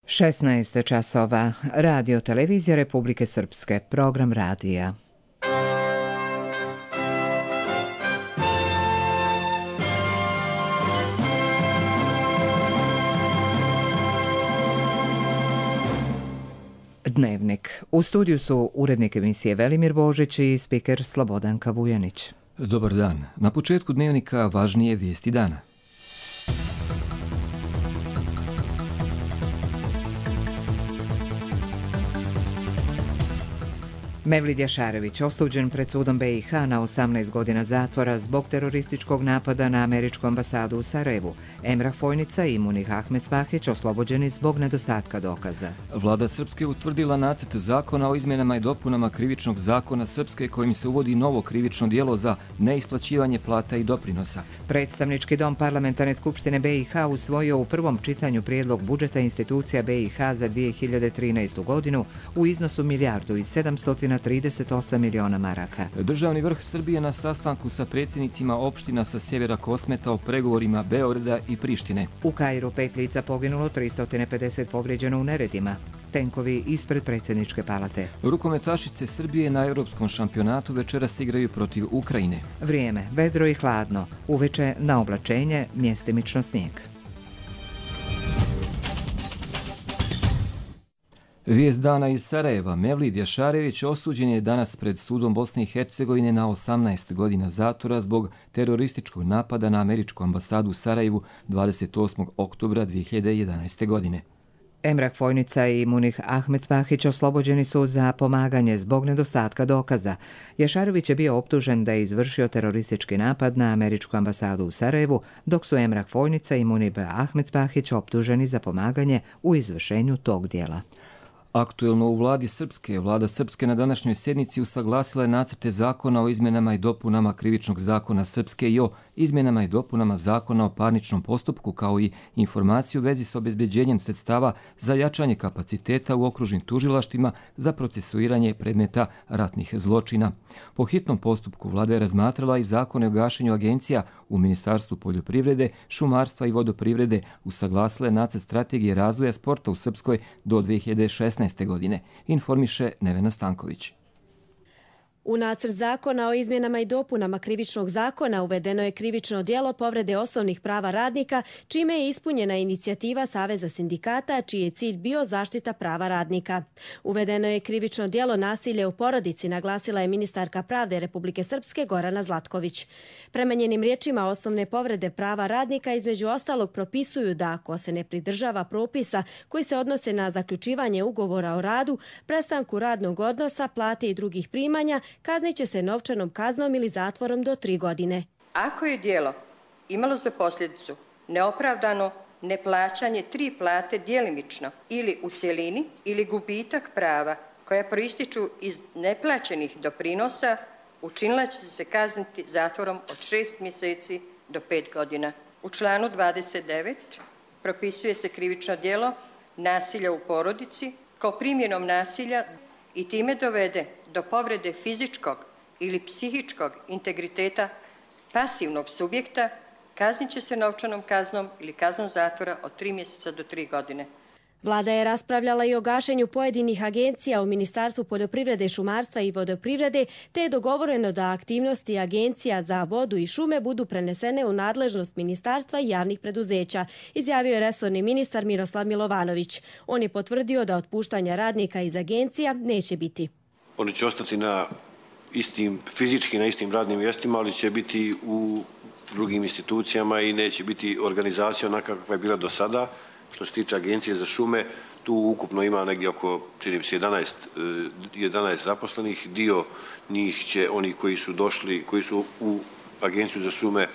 16 časova. Radio televizija Republike Srpske. Program radija. Dnevnik. U studiju su urednik emisije Velimir Božić i spiker Slobodanka Vujanić. Dobar dan. Na početku dnevnika važnije vijesti dana. Mevlid Jašarević osuđen pred sudom BiH na 18 godina zatvora zbog terorističkog napada na američku ambasadu u Sarajevu. Emrah Fojnica i Munih Ahmedspahić oslobođeni zbog nedostatka dokaza. Vlada Srpske utvrdila nacrt zakona o izmjenama i dopunama krivičnog zakona Srpske kojim se uvodi novo krivično djelo za neisplaćivanje plata i doprinosa. Predstavnički dom Parlamentarne skupštine BiH usvojio u prvom čitanju prijedlog budžeta institucija BiH za 2013. godinu u iznosu $1.738 miliona maraka. Državni vrh Srbije na sastanku sa predsjednicima opština sa sjevera Kosmeta o pregovorima Beograda i Prištine. U Kairu 5 lica poginulo, 350 povrijeđeno u neredima. Tenkovi ispred predsjedničke palate. Rukometašice Srbije na Europskom šampionatu večeras igraju protiv Ukrajine. Vrijeme, vedro i hladno. Uveče na oblačenje, mjestimično snijeg. Vijest dana iz Sarajeva. Mevlid Jašarević osuđen je danas pred sudom Bosne i Hercegovine na 18 godina zatvora zbog terorističkog napada na američku ambasadu u Sarajevu 28. oktobra 2011. godine. Emrah Fojnica i Munih Ahmedspahić oslobođeni su za pomaganje zbog nedostatka dokaza. Jašarević je bio optužen da je izvršio teroristički napad na američku ambasadu u Sarajevu, dok su Emrah Fojnica i Munih Ahmedspahić optuženi za pomaganje u izvršenju tog djela. Aktuelno u Vlada Srpske na današnjoj sjednici usaglasila je nacrte zakona o izmjenama i dopunama krivičnog zakona Srpske i o izmjenama i dopunama zakona o parničnom postupku, kao i informaciju u vezi s obezbeđenjem sredstava za jačanje kapaciteta u okružnim tužilaštvima za procesuiranje predmeta ratnih zločina. Po hitnom postupku Vlada je razmatrala i zakone o gašenju agencija u Ministarstvu poljoprivrede, šumarstva i vodoprivrede, usaglasila je nacrt strategije razvoja sporta u Srpskoj do 2016. godine, informiše Nevena Stanković. U nacrt zakona o izmjenama i dopunama krivičnog zakona uvedeno je krivično djelo povrede osnovnih prava radnika, čime je ispunjena inicijativa Saveza sindikata, čiji je cilj bio zaštita prava radnika. Uvedeno je krivično djelo nasilje u porodici, naglasila je ministarka pravde Republike Srpske Gorana Zlatković. Prema njenim riječima, osnovne povrede prava radnika između ostalog propisuju da ako se ne pridržava propisa koji se odnose na zaključivanje ugovora o radu, prestanku radnog odnosa, plate i drugih primanja, kaznit će se novčanom kaznom ili zatvorom do 3 godine. Ako je djelo imalo za posljedicu neopravdano neplaćanje 3 plate djelimično ili u cjelini ili gubitak prava koja proističu iz neplaćenih doprinosa, učinilac će se kazniti zatvorom od 6 mjeseci do 5 godina. U članu 29 propisuje se krivično djelo nasilja u porodici kao primjenom nasilja i time dovede do povrede fizičkog ili psihičkog integriteta pasivnog subjekta, kaznit će se novčanom kaznom ili kaznom zatvora od 3 mjeseca do 3 godine. Vlada je raspravljala i o gašenju pojedinih agencija u Ministarstvu poljoprivrede, šumarstva i vodoprivrede, te je dogovoreno da aktivnosti agencija za vodu i šume budu prenesene u nadležnost ministarstva i javnih preduzeća, izjavio je resorni ministar Miroslav Milovanović. On je potvrdio da otpuštanja radnika iz agencija neće biti. Oni će ostati fizički na istim radnim mjestima, ali će biti u drugim institucijama i neće biti organizacija onaka kakva je bila do sada. Što se tiče agencije za šume, tu ukupno ima negdje oko, činim se, 11 zaposlenih. Dio njih će, oni koji su došli, koji su u agenciju za šume,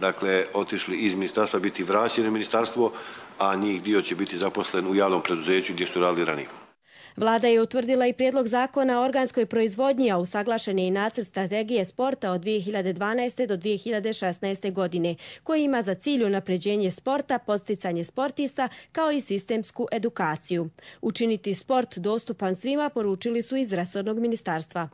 dakle, otišli iz ministarstva, biti vraćeni u ministarstvo, a njih dio će biti zaposlen u javnom preduzeću gdje su radili ranije. Vlada je utvrdila i prijedlog zakona o organskoj proizvodnji, a usaglašen je i nacrt strategije sporta od 2012. do 2016. godine, koji ima za cilj unapređenje sporta, podsticanje sportista, kao i sistemsku edukaciju. Učiniti sport dostupan svima, poručili su iz resornog ministarstva.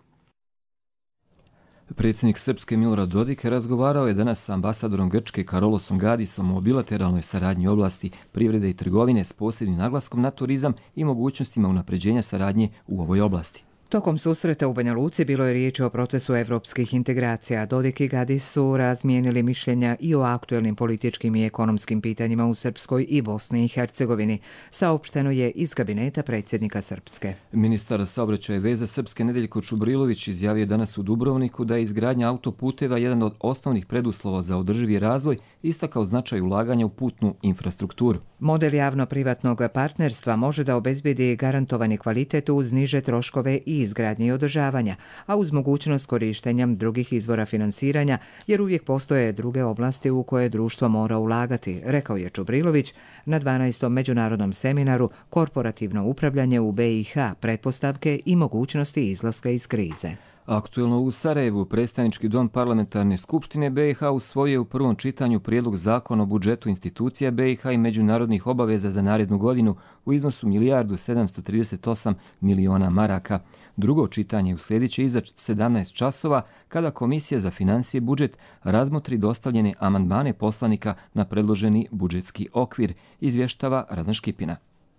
Predsjednik Srpske Milorad Dodik razgovarao je danas sa ambasadorom Grčke Karolosom Gadisom o bilateralnoj saradnji u oblasti privrede i trgovine s posebnim naglaskom na turizam i mogućnostima unapređenja saradnje u ovoj oblasti. Tokom susreta u Banja Luci bilo je riječ o procesu evropskih integracija. Dodik i Gadis su razmijenili mišljenja i o aktuelnim političkim i ekonomskim pitanjima u Srpskoj i Bosni i Hercegovini. Saopšteno je iz kabineta predsjednika Srpske. Ministar saobraćaja i veza Srpske Nedeljko Čubrilović izjavio danas u Dubrovniku da je izgradnja autoputeva jedan od osnovnih preduslova za održivi razvoj, istakao značaj ulaganja u putnu infrastrukturu. Model javno-privatnog partnerstva može da obezbedi garantovani kvalitet uz niže troškove i izgradnje i održavanja, a uz mogućnost korištenja drugih izvora finansiranja, jer uvijek postoje druge oblasti u koje društvo mora ulagati, rekao je Čubrilović na 12. međunarodnom seminaru Korporativno upravljanje u BiH, pretpostavke i mogućnosti izlaska iz krize. Aktuelno u Sarajevu predstavnički dom parlamentarne skupštine BiH usvojio u prvom čitanju prijedlog zakona o budžetu institucija BiH i međunarodnih obaveza za narednu godinu u iznosu 1.738.000.000 maraka. Drugo čitanje uslijedit će iza 17 časova kada Komisija za financije i budžet razmotri dostavljene amandmane poslanika na predloženi budžetski okvir, izvještava Radan Škipina.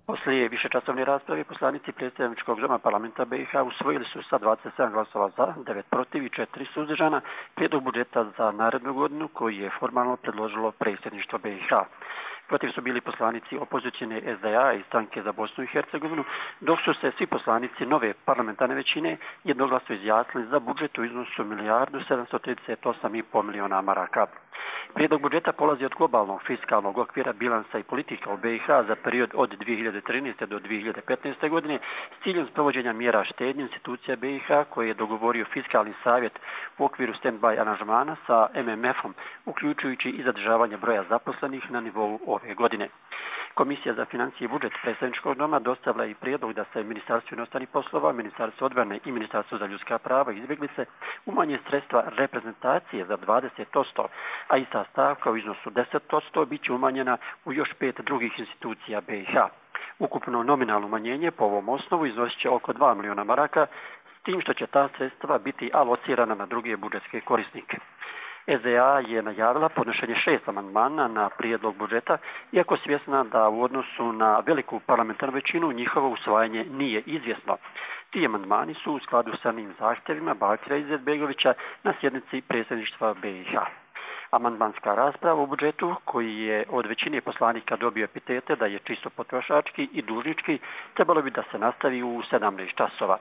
Poslije višečasovne rasprave poslanici predstavničkog doma parlamenta BiH usvojili su sa 27 glasova za, 9 protiv i 4 suzdržana prijedlog budžeta za narednu godinu koji je formalno predložilo predsjedništvo BiH. Protiv su bili poslanici opozicijne SDA i Stranke za Bosnu i Hercegovinu, dok su se svi poslanici nove parlamentarne većine jednoglasno izjasnili za budžet u iznosu 1.738.500.000 maraka. Prijedlog budžeta polazi od globalnog fiskalnog okvira bilansa i politika u BiH za period od 2013. do 2015. godine s ciljem sprovođenja mjera štednje institucija BiH koje je dogovorio Fiskalni savjet u okviru stand-by aranžmana sa MMF-om, uključujući i zadržavanje broja zaposlenih na nivou ove godine. Komisija za financije i budžet predstavničkog doma dostavila i prijedlog da se Ministarstvo inostranih poslova, Ministarstvo odbrane i Ministarstvo za ljudska prava i izbjeglice umanje sredstva reprezentacije za 20%, a ista stavka u iznosu 10% bit će umanjena u još 5 drugih institucija BiH. Ukupno nominalno umanjenje po ovom osnovu iznosit će oko 2 miliona maraka, s tim što će ta sredstva biti alocirana na druge budžetske korisnike. SDA je najavila podnošenje 6 amandmana na prijedlog budžeta, iako svjesna da u odnosu na veliku parlamentarnu većinu njihovo usvajanje nije izvjesno. Ti amandmani su u skladu sa onim zahtjevima Bakira Izetbegovića na sjednici predsjedništva BiH. Amandmanska rasprava u budžetu, koji je od većine poslanika dobio epitete da je čisto potrošački i dužnički, trebalo bi da se nastavi u 17 časova.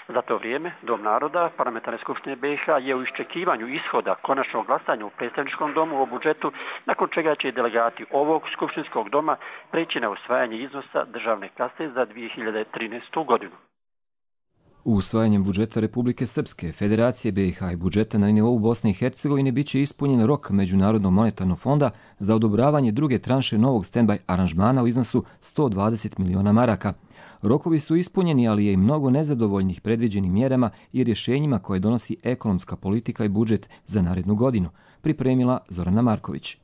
Za to vrijeme, Dom naroda parlamentarne skupštine BiH je u iščekivanju ishoda konačnog glasanja u predstavničkom domu o budžetu, nakon čega će delegati ovog skupštinskog doma preći na usvajanje iznosa državne kase za 2013. godinu. Usvajanjem budžeta Republike Srpske, Federacije BiH i budžeta na nivou Bosne i Hercegovine biće ispunjen rok Međunarodnog monetarnog fonda za odobravanje druge tranše novog stand-by aranžmana u iznosu 120 miliona maraka. Rokovi su ispunjeni, ali je i mnogo nezadovoljnih predviđenim mjerama i rješenjima koje donosi ekonomska politika i budžet za narednu godinu, pripremila Zorana Marković.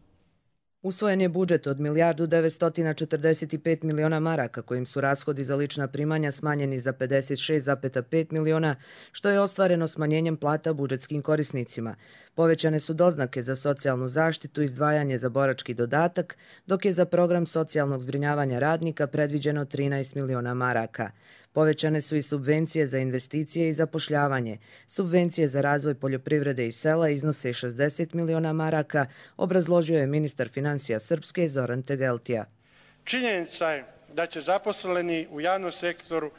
Usvojen je budžet od 1.945.000.000 maraka, kojim su rashodi za lična primanja smanjeni za 56,5 miliona, što je ostvareno smanjenjem plata budžetskim korisnicima. Povećane su doznake za socijalnu zaštitu, izdvajanje za borački dodatak, dok je za program socijalnog zbrinjavanja radnika predviđeno 13 miliona maraka. Povećane su i subvencije za investicije i zapošljavanje. Subvencije za razvoj poljoprivrede i sela iznose 60 miliona maraka, obrazložio je ministar financija Srpske Zoran Tegeltija. Činjenica je da će zaposleni u javnom sektoru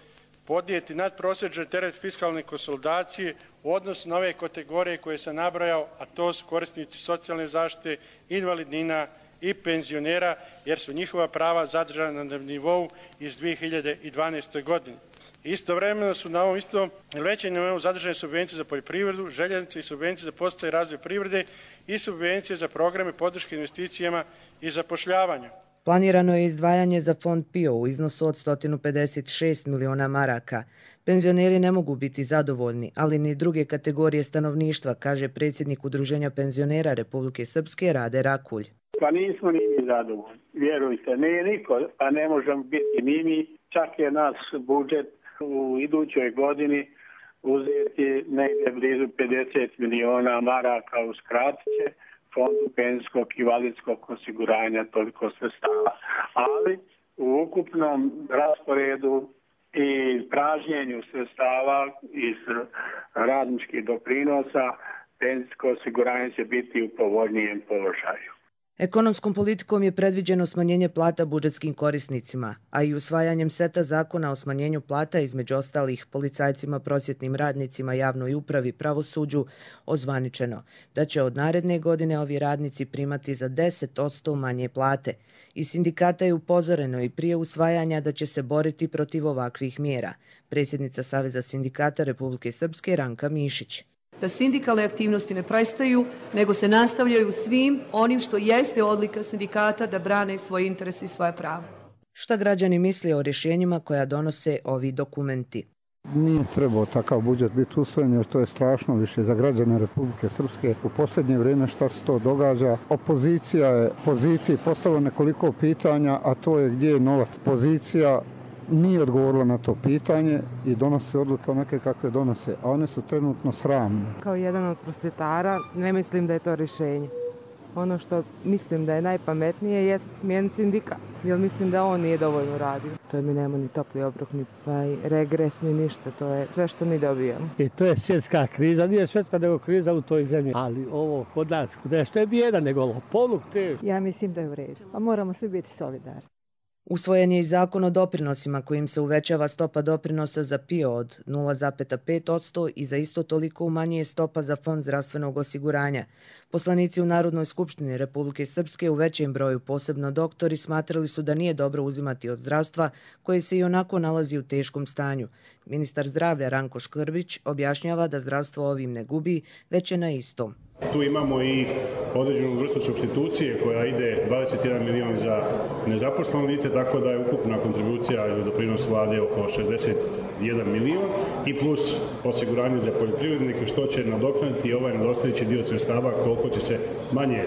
podnijeti nadprosječni teret fiskalne konsolidacije u odnosu na ove kategorije koje sam nabrojao, a to su korisnici socijalne zaštite, invalidnina i penzionera, jer su njihova prava zadržana na nivou iz 2012. godine. Istovremeno su na ovom istom većem nivou zadržane subvencije za poljoprivredu, željeznice i subvencije za podsticaj i razvoj privrede i subvencije za programe podrške investicijama i zapošljavanju. Planirano je izdvajanje za fond PIO u iznosu od 156 miliona maraka. Penzioneri ne mogu biti zadovoljni, ali ni druge kategorije stanovništva, kaže predsjednik Udruženja penzionera Republike Srpske Rade Rakulj. Pa nismo ni mi zadovoljni, vjerujte, nije niko, pa ne možemo biti ni mi, čak je naš budžet u idućoj godini uzeti negdje blizu 50 miliona maraka, uskratit će Fondu penzijskog i invalidskog osiguranja toliko sredstava. Ali u ukupnom rasporedu i pražnjenju sredstava iz radničkih doprinosa penzijsko osiguranje će biti u povoljnijem položaju. Ekonomskom politikom je predviđeno smanjenje plata budžetskim korisnicima, a i usvajanjem seta zakona o smanjenju plata, između ostalih policajcima, prosvjetnim radnicima, javnoj upravi, pravosuđu, ozvaničeno da će od naredne godine ovi radnici primati za 10% manje plate. Iz sindikata je upozoreno i prije usvajanja da će se boriti protiv ovakvih mjera. Predsjednica Saveza sindikata Republike Srpske Ranka Mišić. Da sindikalne aktivnosti ne prestaju, nego se nastavljaju svim onim što jeste odlika sindikata da brane svoje interese i svoje prava. Šta građani misle o rješenjima koja donose ovi dokumenti? Nije trebao takav budžet biti usvojen jer to je strašno više za građane Republike Srpske. U posljednje vrijeme šta se to događa? Opozicija je poziciji postavila nekoliko pitanja, a to je gdje je novac. Pozicija nije odgovorila na to pitanje i donose odluke onake kakve donose, a one su trenutno sramne. Kao jedan od prosvjetara ne mislim da je to rješenje. Ono što mislim da je najpametnije jest smijeniti sindikat, jer mislim da on nije dovoljno radio. To mi nema ni topli obrok, ni regres, ni ništa, to je sve što mi dobijamo. I to je svjetska kriza, nije svjetska nego kriza u toj zemlji, ali ovo kod nas, što je bijeda nego lopovluk te. Ja mislim da je u redu, a moramo svi biti solidarni. Usvojen je i zakon o doprinosima kojim se uvećava stopa doprinosa za PIO od 0,5% i za isto toliko umanjuje stopa za Fond zdravstvenog osiguranja. Poslanici u Narodnoj skupštini Republike Srpske u većem broju, posebno doktori, smatrali su da nije dobro uzimati od zdravstva koje se i onako nalazi u teškom stanju. Ministar zdravlja Ranko Škrbić objašnjava da zdravstvo ovim ne gubi, već je na istom. Tu imamo i određenu vrstu supstitucije koja ide 21 milion za nezaposleno lice, tako da je ukupna kontribucija ili doprinos vlade oko 61 milion i plus osiguranje za poljoprivrednike što će nadoknaditi ovaj nedostajući dio sredstava koliko će se manje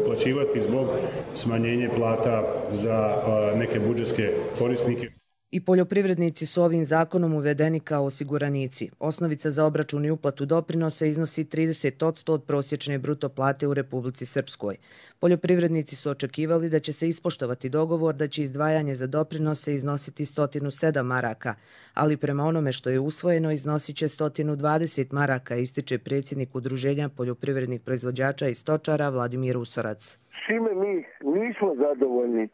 uplaćivati zbog smanjenja plata za neke budžetske korisnike. I poljoprivrednici su ovim zakonom uvedeni kao osiguranici. Osnovica za obračun i uplatu doprinosa iznosi 30% od prosječne bruto plate u Republici Srpskoj. Poljoprivrednici su očekivali da će se ispoštovati dogovor da će izdvajanje za doprinose iznositi 107 maraka, ali prema onome što je usvojeno iznosit će 120 maraka, ističe predsjednik Udruženja poljoprivrednih proizvođača i stočara Vladimir Usorac. Svime mi nismo zadovoljni.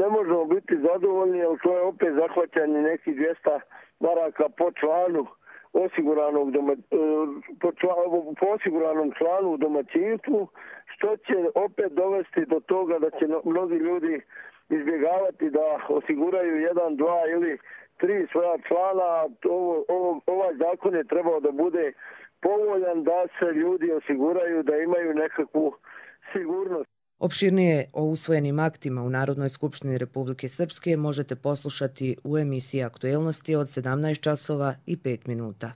Ne možemo biti zadovoljni, jer to je opet zahvaćanje nekih 200 maraka po članu po osiguranom članu u domaćinstvu, što će opet dovesti do toga da će mnogi ljudi izbjegavati da osiguraju 1, 2 ili 3 svoja člana. Ovaj zakon je trebao da bude povoljan da se ljudi osiguraju, da imaju nekakvu sigurnost. Opširnije o usvojenim aktima u Narodnoj skupštini Republike Srpske možete poslušati u emisiji Aktuelnosti od 17 časova i 5 minuta.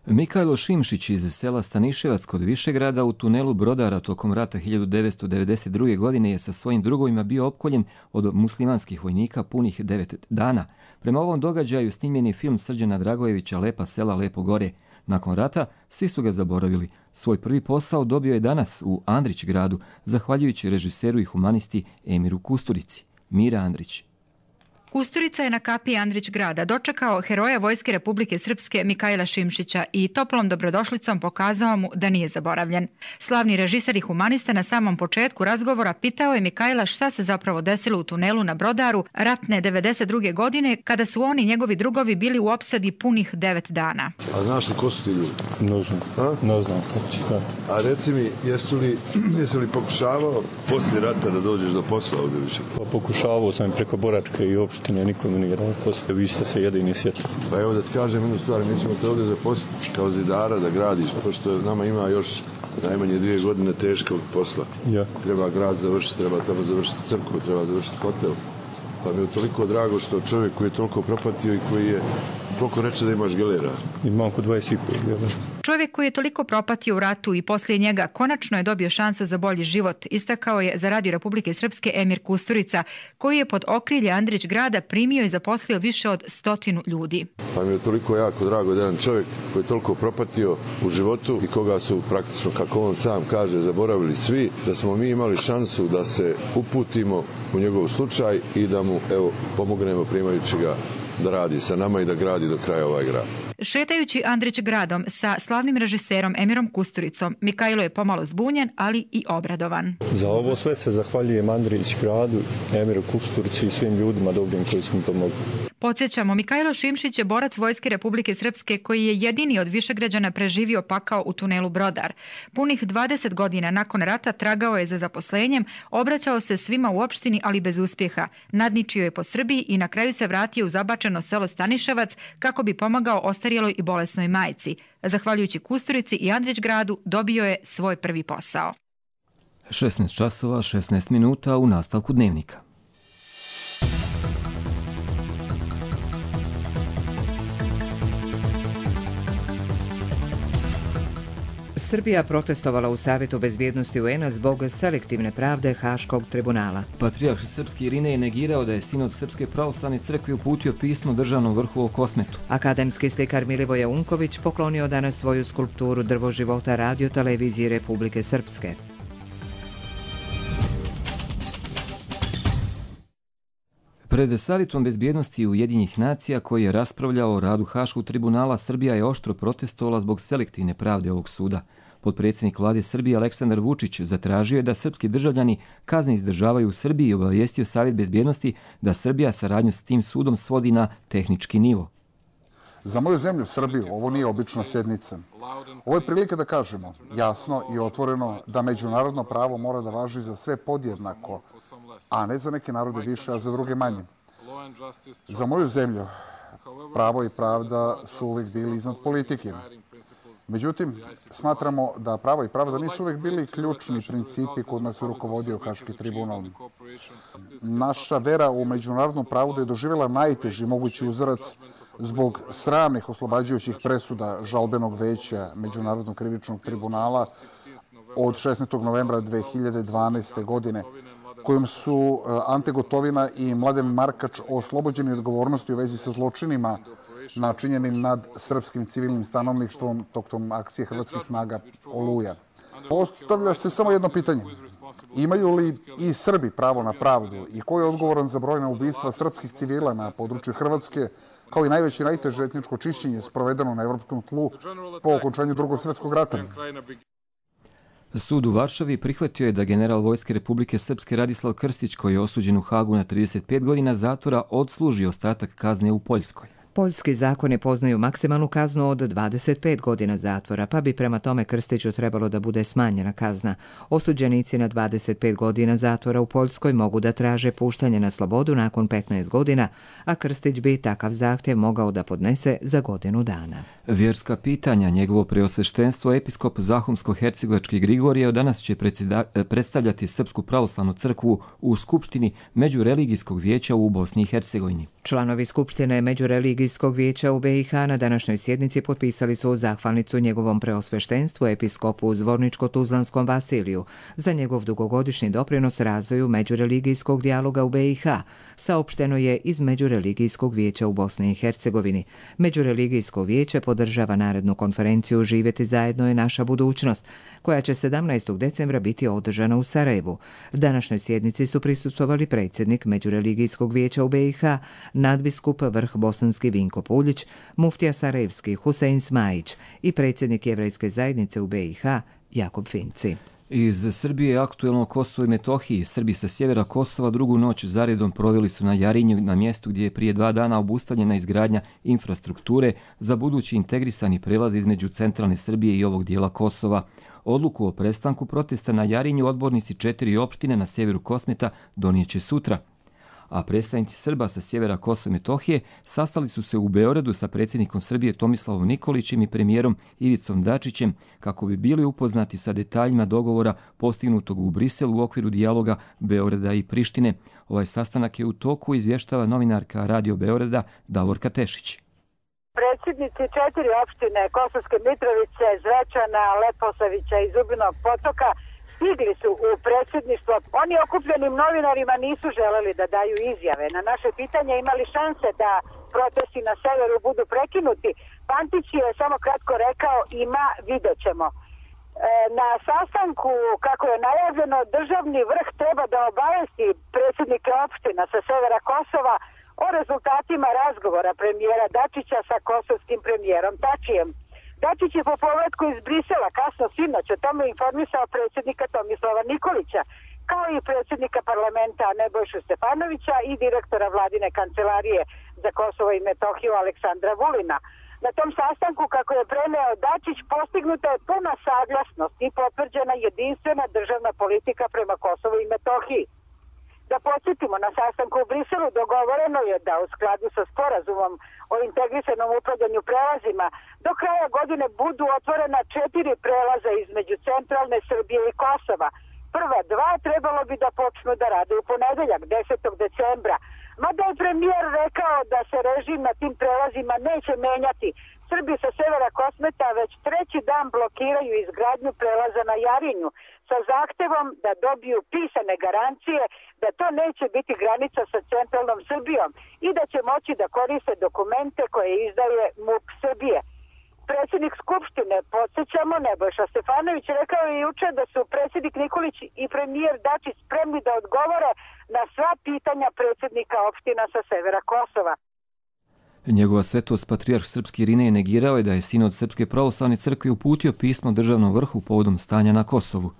Mikajlo Šimšić iz sela Staniševac kod Višegrada u tunelu Brodara tokom rata 1992. godine je sa svojim drugovima bio opkoljen od muslimanskih vojnika punih 9 dana. Prema ovom događaju snimljen je film Srđana Dragojevića Lepa sela, lepo gore. Nakon rata svi su ga zaboravili. Svoj prvi posao dobio je danas u Andrić gradu, zahvaljujući režiseru i humanisti Emiru Kusturici. Mira Andrić. Kusturica je na kapiji Andrić grada dočekao heroja Vojske Republike Srpske Mikajla Šimšića i toplom dobrodošlicom pokazao mu da nije zaboravljen. Slavni režiser i humanista na samom početku razgovora pitao je Mikajla šta se zapravo desilo u tunelu na Brodaru ratne 92. godine kada su on i njegovi drugovi bili u opsadi punih 9 dana. A znaš li ko su ti ljudi? Ne znam. A reci mi, jesi li pokušavao poslije rata da dođeš do posla ovdje više? Pokušavao sam preko Boračke i opštine, nikome nije rano posle, vi ste se jedini sjetili. Pa evo da ti kažem jednu stvar, mi ćemo te ovdje zaposliti kao zidara da gradiš, pošto nama ima još najmanje 2 godine teškog posla. Ja. Treba grad završiti, treba tamo završiti crkvu, treba završiti hotel. Pa mi je toliko drago što čovjek koji je toliko propatio i koji je toliko reče da imaš gelera. Imam oko 25 gelera. Čovjek koji je toliko propatio u ratu i poslije njega konačno je dobio šansu za bolji život, istakao je za Radio Republike Srpske Emir Kusturica, koji je pod okrilje Andrić grada primio i zaposlio više od 100 ljudi. Pa mi je toliko jako drago da jedan čovjek koji je toliko propatio u životu i koga su praktično, kako on sam kaže, zaboravili svi, da smo mi imali šansu da se uputimo u njegov slučaj i da mu pomognemo primajući ga da radi sa nama i da gradi do kraja ovaj grad. Šetajući Andrić gradom sa slavnim režiserom Emirom Kusturicom, Mikajlo je pomalo zbunjen, ali i obradovan. Za ovo sve se zahvaljujem Andrić gradu, Emiru Kusturici i svim ljudima dobrim koji su mi pomogli. Podsjećamo, Mikajlo Šimšić je borac Vojske Republike Srpske koji je jedini od Višegrađana preživio pakao u tunelu Brodar. Punih 20 godina nakon rata tragao je za zaposlenjem, obraćao se svima u opštini, ali bez uspjeha. Nadničio je po Srbiji i na kraju se vratio u zabačeno selo Staniševac kako bi pomagao ostarjeloj i bolesnoj majci. Zahvaljujući Kusturici i Andrić gradu dobio je svoj prvi posao. 16 časova, 16 minuta u nastavku dnevnika. Srbija protestovala u Savjetu bezbjednosti UN-a zbog selektivne pravde Haškog tribunala. Patrijarh srpski Irinej je negirao da je sinod Srpske pravoslavne crkve uputio pismo državnom vrhu o Kosmetu. Akademski slikar Milivoje Unković poklonio danas svoju skulpturu Drvo života Radio televiziji Republike Srpske. Pred Savjetom bezbjednosti Ujedinjenih nacija koji je raspravljao o radu Haškog tribunala, Srbija je oštro protestovala zbog selektivne pravde ovog suda. Potpredsjednik vlade Srbije Aleksandar Vučić zatražio je da srpski državljani kazne izdržavaju u Srbiji i obavijestio Savjet bezbjednosti da Srbija saradnju s tim sudom svodi na tehnički nivo. Za moju zemlju, Srbiju, ovo nije obična sjednica. Ovo je prilika da kažemo jasno i otvoreno da međunarodno pravo mora da važi za sve podjednako, a ne za neke narode više, a za druge manje. Za moju zemlju, pravo i pravda su uvijek bili iznad politike. Međutim, smatramo da pravo i pravda nisu uvijek bili ključni principi kod nas je rukovodio Haški tribunal. Naša vera u međunarodno pravo da je doživjela najteži mogući uzarac zbog sramnih oslobađajućih presuda žalbenog veća Međunarodnog krivičnog tribunala od 16. novembra 2012. godine, kojom su Ante Gotovina i Mladen Markač oslobođeni odgovornosti u vezi sa zločinima načinjenim nad srpskim civilnim stanovništvom tokom akcije hrvatskih snaga Oluja. Postavlja se samo jedno pitanje. Imaju li i Srbi pravo na pravdu i ko je odgovoran za brojna ubistva srpskih civila na području Hrvatske, kao i najveće i najteže etničko čišćenje sprovedeno na evropskom tlu po okončanju Drugog svjetskog rata? Sud u Varšavi prihvatio je da general Vojske Republike Srpske Radislav Krstić, koji je osuđen u Hagu na 35 godina zatvora, odsluži ostatak kazne u Poljskoj. Poljski zakoni poznaju maksimalnu kaznu od 25 godina zatvora, pa bi prema tome Krstiću trebalo da bude smanjena kazna. Osuđenici na 25 godina zatvora u Poljskoj mogu da traže puštanje na slobodu nakon 15 godina, a Krstić bi takav zahtjev mogao da podnese za godinu dana. Vjerska pitanja. Njegovo preosveštenstvo episkop Zahumsko-hercegovački Grigorije danas će predstavljati Srpsku pravoslavnu crkvu u Skupštini Međureligijskog vijeća u Bosni i Hercegovini. Članovi Skupštine Međureligijskog vijeća u BiH na današnjoj sjednici potpisali su zahvalnicu njegovom preosveštenstvu episkopu Zvorničko-Tuzlanskom Vasiliju za njegov dugogodišnji doprinos razvoju međureligijskog dijaloga u BiH, saopšteno je iz Međureligijskog vijeća u Bosni i Hercegovini. Međureligijsko vijeće podržava narednu konferenciju Živjeti zajedno je naša budućnost, koja će 17. decembra biti održana u Sarajevu. Današnjoj sjednici su prisustvovali predsjednik Međureligijskog vijeća u BiH, nadbiskup Vrh Bosanski Vinko Puljić, muftija Sarajevski Husein Smajić i predsjednik Jevrejske zajednice u BiH Jakob Finci. Iz Srbije aktuelno Kosovo i Metohiji. Srbi sa sjevera Kosova drugu noć zaredom proveli su na Jarinju, na mjestu gdje je prije 2 dana obustavljena izgradnja infrastrukture za budući integrisani prelaz između centralne Srbije i ovog dijela Kosova. Odluku o prestanku protesta na Jarinju odbornici 4 opštine na sjeveru Kosmeta donijeće sutra. A predstavnici Srba sa sjevera Kosova i Metohije sastali su se u Beogradu sa predsjednikom Srbije Tomislavom Nikolićem i premijerom Ivicom Dačićem kako bi bili upoznati sa detaljima dogovora postignutog u Briselu u okviru dijaloga Beograda i Prištine. Ovaj sastanak je u toku, izvještava novinarka Radio Beograda Davorka Tešić. Predsjednici 4 opštine Kosovske Mitrovice, Zvečana, Leposavića i Zubinog Potoka stigli su u predsjedništvo. Oni okupljenim novinarima nisu želeli da daju izjave. Na naše pitanje imali šanse da protesti na severu budu prekinuti. Pantić je samo kratko rekao ima, vidjet ćemo. Na sastanku, kako je najavljeno, državni vrh treba da obavesti predsjednike opština sa severa Kosova o rezultatima razgovora premijera Dačića sa kosovskim premijerom Tačijem. Dačić je po povratku iz Brisela kasno sinoć o tome informisao predsjednika Tomislava Nikolića, kao i predsjednika parlamenta Nebojšu Stefanovića i direktora vladine kancelarije za Kosovo i Metohiju Aleksandra Vulina. Na tom sastanku, kako je preneo Dačić, postignuta je puna saglasnost i potvrđena jedinstvena državna politika prema Kosovu i Metohiji. Da podsjetimo, na sastanku u Briselu dogovoreno je da u skladu sa sporazumom o integrisanom upravljanju prelazima do kraja godine budu otvorena 4 prelaza između centralne Srbije i Kosova. Prva 2 trebalo bi da počnu da rade u ponedeljak, 10. decembra. Mada je premijer rekao da se režim na tim prelazima neće menjati. Srbi sa severa Kosmeta već 3. dan blokiraju izgradnju prelaza na Jarinju sa zahtevom da dobiju pisane garancije da to neće biti granica sa centralnom Srbijom i da će moći da koriste dokumente koje izdaje MUP Srbije. Predsjednik Skupštine, podsjećamo, Nebojša Stefanović, rekao je juče da su predsjednik Nikolić i premijer Dačić spremni da odgovore na sva pitanja predsjednika opština sa severa Kosova. Njegova svetost patrijarh srpski Irinej negirao je da je sinod Srpske pravoslavne crkve uputio pismo državnom vrhu povodom stanja na Kosovu.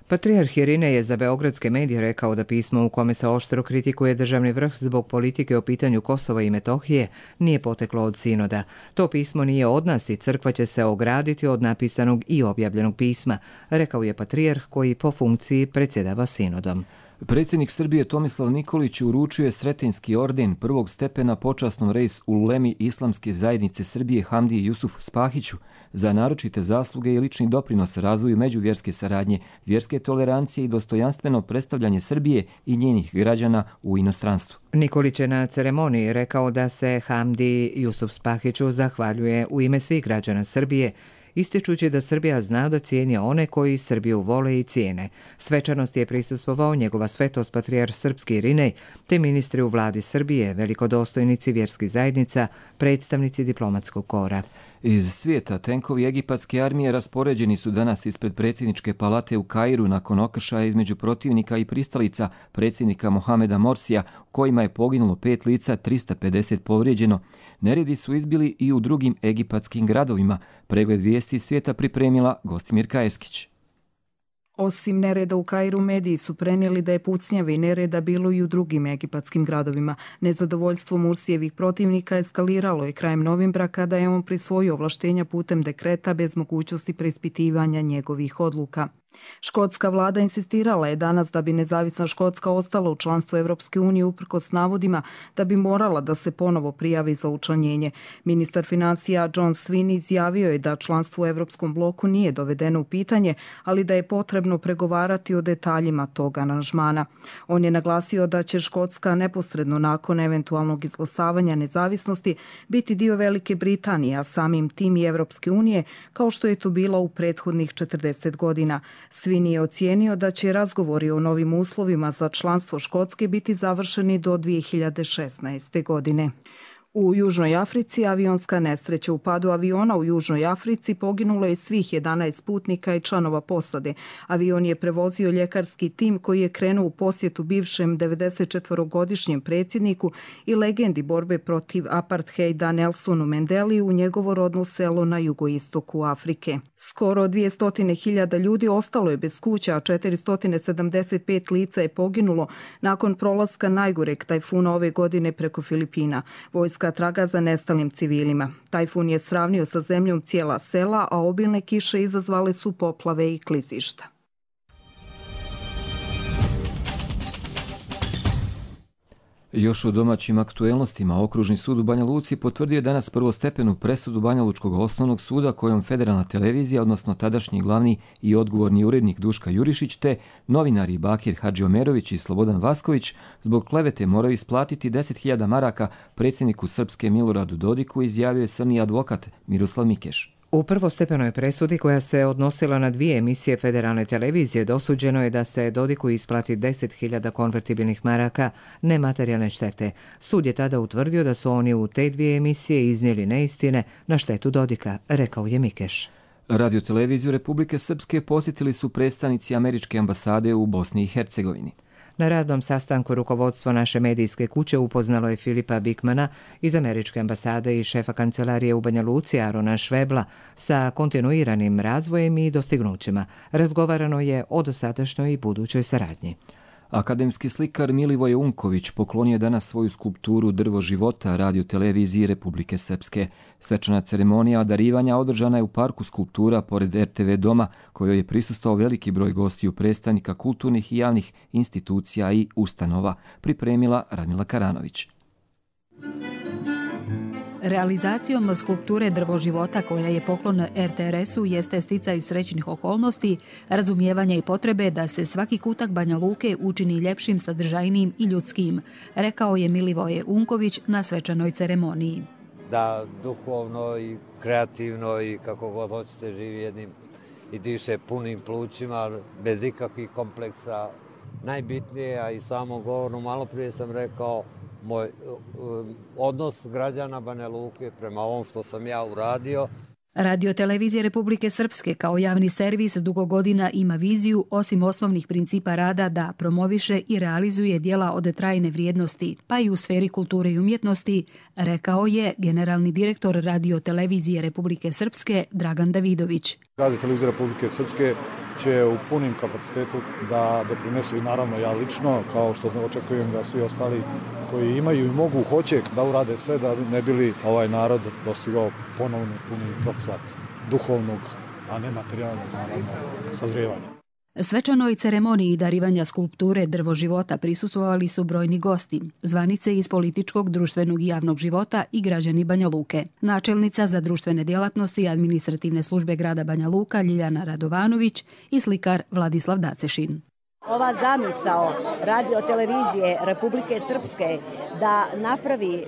Patrijarh Irinej je za beogradske medije rekao da pismo u kome se oštro kritikuje državni vrh zbog politike o pitanju Kosova i Metohije nije poteklo od sinoda. To pismo nije od nas i crkva će se ograditi od napisanog i objavljenog pisma, rekao je patrijarh koji po funkciji predsjedava sinodom. Predsjednik Srbije Tomislav Nikolić uručio je Sretenjski orden prvog stepena počasnom rejs ulemi Islamske zajednice Srbije Hamdiji Jusuf Spahiću za naročite zasluge i lični doprinos razvoju međuvjerske saradnje, vjerske tolerancije i dostojanstveno predstavljanje Srbije i njenih građana u inostranstvu. Nikolić je na ceremoniji rekao da se Hamdiji Jusuf Spahiću zahvaljuje u ime svih građana Srbije, ističući da Srbija zna da cijeni one koji Srbiju vole i cijene. Svečanost je prisustvovao njegova svetost patrijarh srpski Irinej, te ministri u vladi Srbije, velikodostojnici vjerskih zajednica, predstavnici diplomatskog kora. Iz svijeta tenkovi egipatske armije raspoređeni su danas ispred predsjedničke palate u Kairu nakon okršaja između protivnika i pristalica predsjednika Mohameda Morsija, kojima je poginulo 5 lica, 350 povrijeđeno. Neredi su izbili i u drugim egipatskim gradovima. Pregled vijesti svijeta pripremila Gostimir Kajeskić. Osim nereda u Kairu, mediji su prenijeli da je pucnjave i nereda bilo i u drugim egipatskim gradovima. Nezadovoljstvo Mursijevih protivnika eskaliralo je krajem novembra kada je on prisvojio ovlaštenja putem dekreta bez mogućnosti preispitivanja njegovih odluka. Škotska vlada insistirala je danas da bi nezavisna Škotska ostala u članstvu Evropske unije uprkos navodima da bi morala da se ponovo prijavi za učlanjenje. Ministar financija John Sweeney izjavio je da članstvo u Evropskom bloku nije dovedeno u pitanje, ali da je potrebno pregovarati o detaljima tog aranžmana. On je naglasio da će Škotska neposredno nakon eventualnog izglasavanja nezavisnosti biti dio Velike Britanije, a samim tim i Evropske unije, kao što je to bilo u prethodnih 40 godina. Sweeney je ocijenio da će razgovori o novim uslovima za članstvo Škotske biti završeni do 2016. godine. U Južnoj Africi avionska nesreća. U padu aviona u Južnoj Africi poginulo je svih 11 putnika i članova posade. Avion je prevozio ljekarski tim koji je krenuo u posjetu bivšem 94-godišnjem predsjedniku i legendi borbe protiv apartheida Nelsonu Mandeli u njegovo rodno selo na jugoistoku Afrike. Skoro 200.000 ljudi ostalo je bez kuća, a 475 lica je poginulo nakon prolaska najgoreg tajfuna ove godine preko Filipina. Vojska traga za nestalim civilima. Tajfun je sravnio sa zemljom cijela sela, a obilne kiše izazvale su poplave i klizišta. Još u domaćim aktuelnostima Okružni sud u Banja Luci potvrdio je danas prvostepenu presudu Banja Lučkog osnovnog suda kojom federalna televizija, odnosno tadašnji glavni i odgovorni urednik Duška Jurišić te novinari Bakir Hadžiomerović i Slobodan Vasković zbog klevete moraju isplatiti 10.000 maraka predsjedniku Srpske Miloradu Dodiku, izjavio je crni advokat Miroslav Mikeš. U prvostepenoj presudi koja se odnosila na 2 emisije federalne televizije dosuđeno je da se Dodiku isplati 10.000 konvertibilnih maraka nematerijalne štete. Sud je tada utvrdio da su oni u te 2 emisije iznijeli neistine na štetu Dodika, rekao je Mikeš. Radioteleviziju Republike Srpske posjetili su predstavnici američke ambasade u Bosni i Hercegovini. Na radnom sastanku rukovodstvo naše medijske kuće upoznalo je Filipa Bikmana iz američke ambasade i šefa kancelarije u Banja Luci Arona Švebla sa kontinuiranim razvojem i dostignućima. Razgovarano je o dosadašnjoj i budućoj saradnji. Akademski slikar Milivoje Unković poklonio je danas svoju skulpturu Drvo života Radioteleviziji Republike Srpske. Svečana ceremonija darivanja održana je u parku skulptura pored RTV doma, kojoj je prisustvovao veliki broj gostiju predstavnika kulturnih i javnih institucija i ustanova, pripremila Radmila Karanović. Realizacijom skulpture Drvo života, koja je poklon RTRS-u, jeste sticaj srećnih okolnosti, razumijevanja i potrebe da se svaki kutak Banja Luke učini ljepšim, sadržajnijim i ljudskim, rekao je Milivoje Unković na svečanoj ceremoniji. Da duhovno i kreativno i kako god hoćete živi jednim i diše punim plućima, bez ikakvih kompleksa. Najbitnije, a i samom govornu, malo prije sam rekao, moj odnos građana Banja Luke prema ovom što sam ja uradio. Radiotelevizija Republike Srpske kao javni servis dugo godina ima viziju, osim osnovnih principa rada, da promoviše i realizuje djela od trajne vrijednosti, pa i u sferi kulture i umjetnosti, rekao je generalni direktor Radiotelevizije Republike Srpske Dragan Davidović. Radiotelevizija Republike Srpske će u punim kapacitetu da doprinesu i naravno ja lično, kao što očekujem da svi ostali koji imaju i mogu, hoće da urade sve da ne bili ovaj narod dostigao ponovno puni procvat duhovnog, a ne materijalnog, naravno, sazrijevanja. Svečanoj ceremoniji darivanja skulpture Drvo života prisustvovali su brojni gosti, zvanice iz političkog, društvenog i javnog života i građani Banja Luke. Načelnica za društvene djelatnosti i administrativne službe grada Banja Luka Ljiljana Radovanović i slikar Vladislav Dacešin. Ova zamisao Radiotelevizije Republike Srpske da napravi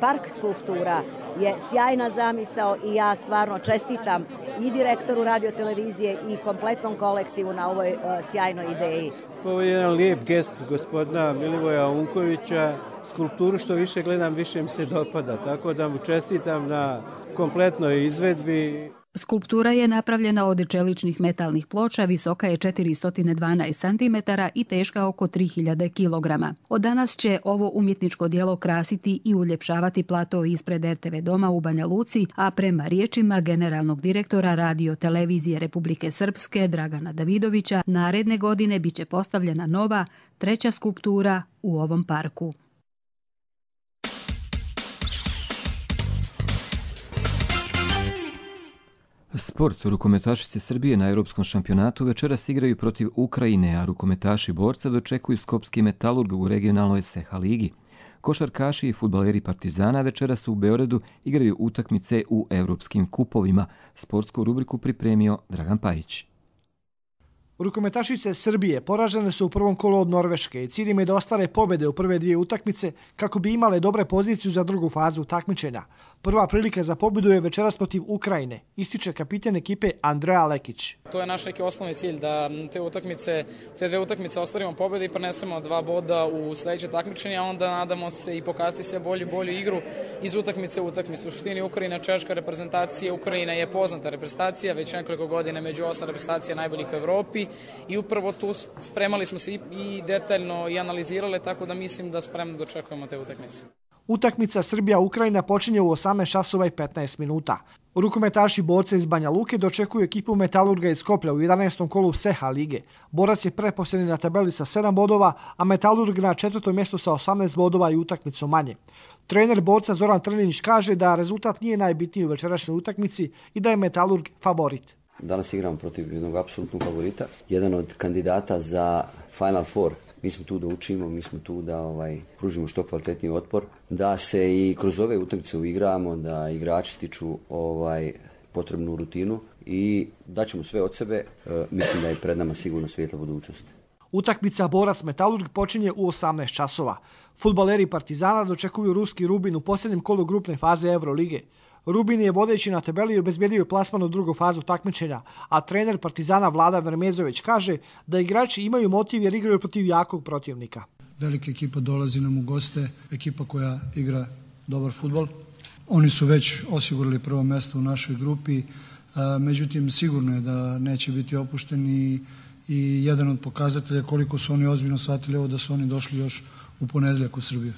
park skulptura je sjajna zamisao i ja stvarno čestitam i direktoru Radiotelevizije i kompletnom kolektivu na ovoj sjajnoj ideji. Ovo je jedan lijep gest gospodina Milivoja Unkovića. Skulpturu što više gledam, više mi se dopada, tako da mu čestitam na kompletnoj izvedbi. Skulptura je napravljena od čeličnih metalnih ploča, visoka je 412 cm i teška oko 3000 kg. Od danas će ovo umjetničko djelo krasiti i uljepšavati plato ispred RTV doma u Banja Luci, a prema riječima generalnog direktora Radiotelevizije Republike Srpske Dragana Davidovića, naredne godine biće postavljena nova, 3. skulptura u ovom parku. Sport. Rukometašice Srbije na Europskom šampionatu večeras igraju protiv Ukrajine, a rukometaši borca dočekuju Skopski Metalurg u regionalnoj SEHA ligi. Košarkaši i fudbaleri Partizana večeras u Beogradu igraju utakmice u europskim kupovima. Sportsku rubriku pripremio Dragan Pajić. Rukometašice Srbije poražene su u prvom kolu od Norveške i cilj im je da ostvare pobjede u prve 2 utakmice kako bi imale dobre poziciju za drugu fazu takmičenja. Prva prilika za pobjedu je večeras protiv Ukrajine, ističe kapitan ekipe Andreja Lekić. To je naš neki osnovni cilj, da te 2 utakmice ostvarimo pobjede i prenesemo 2 boda u sljedeće takmičenje, a onda nadamo se i pokazati sve bolju igru iz utakmice u utakmicu. U suštini Ukrajina, češka reprezentacija, Ukrajina je poznata reprezentacija, već nekoliko godina među 8 reprezentacija najboljih u Evropi i upravo tu spremali smo se i detaljno i analizirali, tako da mislim da spremno dočekujemo te utakmice. Utakmica Srbija-Ukrajina počinje u 18 časova i 15 minuta. Rukometaši borca iz Banja Luke dočekuju ekipu Metalurga iz Skoplja u 11. kolu SEHA lige. Borac je pretposljednji na tabeli sa 7 bodova, a Metalurg na 4. mjestu sa 18 bodova i utakmicu manje. Trener borca Zoran Trninić kaže da rezultat nije najbitniji u večerašnjoj utakmici i da je Metalurg favorit. Danas igramo protiv jednog apsolutnog favorita, jedan od kandidata za Final Four Mi smo tu da učimo, mi smo tu da pružimo što kvalitetniji otpor, da se i kroz ove utakmice uigramo, da igrači stiču potrebnu rutinu i daćemo sve od sebe. Mislim da je pred nama sigurno svijetla budućnost. Utakmica Borac-Metalurg počinje u 18 časova. Fudbaleri Partizana dočekuju ruski Rubin u posljednjem kolu grupne faze Eurolige. Rubin je vodeći na tabeli obezbedio plasman u drugu fazu takmičenja, a trener Partizana Vlada Vermezović kaže da igrači imaju motiv jer igraju protiv jakog protivnika. Velika ekipa dolazi nam u goste, ekipa koja igra dobar fudbal. Oni su već osigurali prvo mjesto u našoj grupi, međutim sigurno je da neće biti opušteni i jedan od pokazatelja koliko su oni ozbiljno shvatili ovo da su oni došli još u ponedjeljak u Srbiju.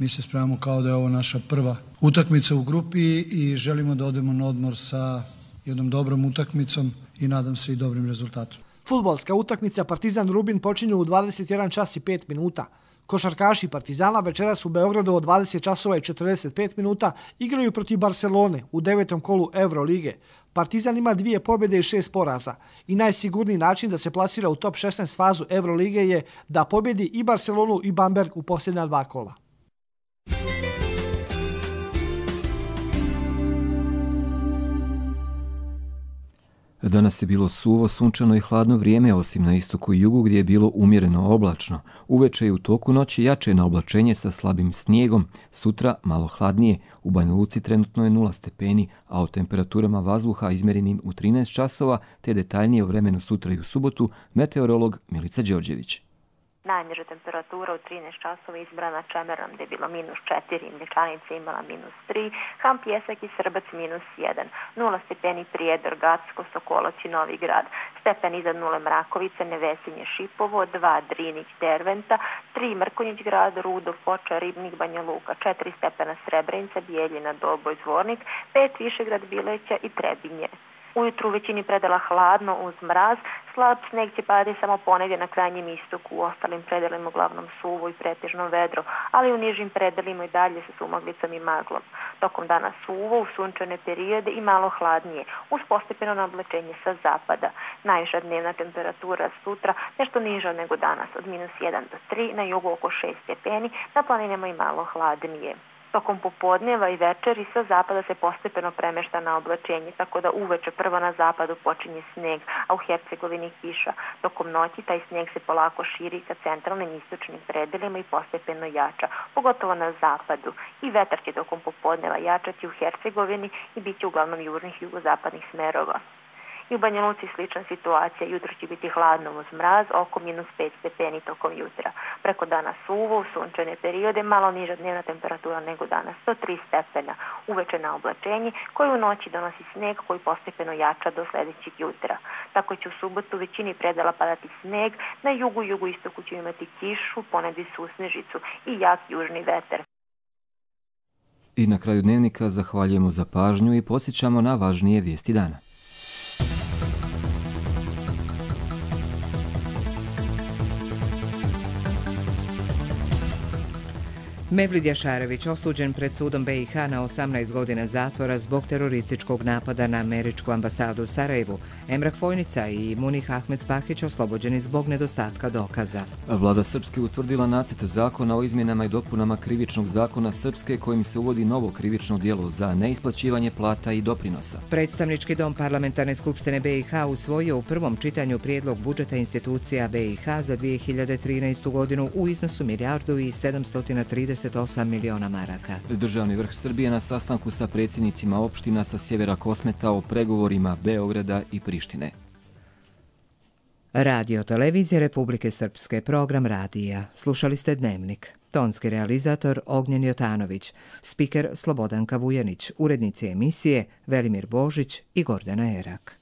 Mi se spremamo kao da je ovo naša prva utakmica u grupi i želimo da odemo na odmor sa jednom dobrom utakmicom i nadam se i dobrim rezultatom. Fudbalska utakmica Partizan Rubin počinje u 21 čas i 5 minuta. Košarkaši Partizana večeras u Beogradu od 20 časova i 45 minuta igraju protiv Barcelone u 9. kolu Eurolige. Partizan ima 2 pobjede i 6 poraza i najsigurniji način da se plasira u top 16 fazu Eurolige je da pobjedi i Barcelonu i Bamberg u posljednja 2 kola. Danas je bilo suvo, sunčano i hladno vrijeme, osim na istoku i jugu gdje je bilo umjereno oblačno. Uveče i u toku noći jače na oblačenje sa slabim snijegom, sutra malo hladnije. U Banja Luci trenutno je 0 stepeni, a o temperaturama vazduha izmjerenim u 13 časova, te detaljnije o vremenu sutra i u subotu, meteorolog Milica Đorđević. Najniža temperatura u 13 časova izbrana Čemerom gdje je bilo -4, Mlječanica imala -3, Ham Pjesak i Srbac -1, 0 stepeni Prijedor, Gacko, Sokolac i Novi Grad, stepen iznad 0 Mrakovica, Nevesinje, Šipovo, 2 Drinić, Derventa, 3 Mrkonjić Grad, Rudo, Foča, Ribnik, Banja Luka, 4 stepena Srebrenica, Bijeljina, Doboj, Zvornik, 5 Višegrad, Bileća i Trebinje. Ujutru u većini predela hladno uz mraz, slab sneg će padati samo ponegdje na krajnjem istoku, u ostalim predelima uglavnom suvo i pretežno vedro, ali u nižim predelima i dalje sa sumaglicom i maglom. Tokom dana suvo, u sunčane periode i malo hladnije, uz postepeno nablačenje sa zapada. Najviša dnevna temperatura sutra nešto niža nego danas, od -1 do 3, na jugu oko 6 stepeni, na planinama i malo hladnije. Tokom popodneva i večeri sa zapada se postepeno premešta na oblačenje, tako da uveče prvo na zapadu počinje sneg, a u Hercegovini kiša. Tokom noći taj sneg se polako širi ka centralnim istočnim predelima i postepeno jača, pogotovo na zapadu. I vetar će tokom popodneva jačati u Hercegovini i bit će uglavnom južnih i jugozapadnih smerova. I u Banja Luci slična situacija, jutro će biti hladno uz mraz, oko -5 stepeni tokom jutra. Preko dana suvo, u sunčane periode, malo niža dnevna temperatura nego danas, 103 stepena. Uveče na oblačenje, koje u noći donosi sneg koji postepeno jača do sljedećeg jutra. Tako će u subotu većini predela padati sneg, na jugu i jugoistoku će imati kišu, ponegdje susnežicu i jak južni vetar. I na kraju dnevnika zahvaljujemo za pažnju i podsjećamo na važnije vijesti dana. Mevlid Jašarević osuđen pred sudom BiH na 18 godina zatvora zbog terorističkog napada na američku ambasadu u Sarajevu. Emrah Fojnica i Munih Ahmedspahić oslobođeni zbog nedostatka dokaza. Vlada Srpske utvrdila nacrt zakona o izmjenama i dopunama krivičnog zakona Srpske kojim se uvodi novo krivično djelo za neisplaćivanje plata i doprinosa. Predstavnički dom Parlamentarne skupštine BiH usvojio u prvom čitanju prijedlog budžeta institucija BiH za 2013. godinu u iznosu 1.738 miliona maraka. Državni vrh Srbije na sastanku sa predsjednicima opština sa sjevera Kosmeta o pregovorima Beograda i Prištine. Radio televizije Republike Srpske, program radija. Slušali ste Dnevnik. Tonski realizator Ognjen Jotanović, spiker Slobodanka Vujanić, urednici emisije Velimir Božić i Gordana Erak.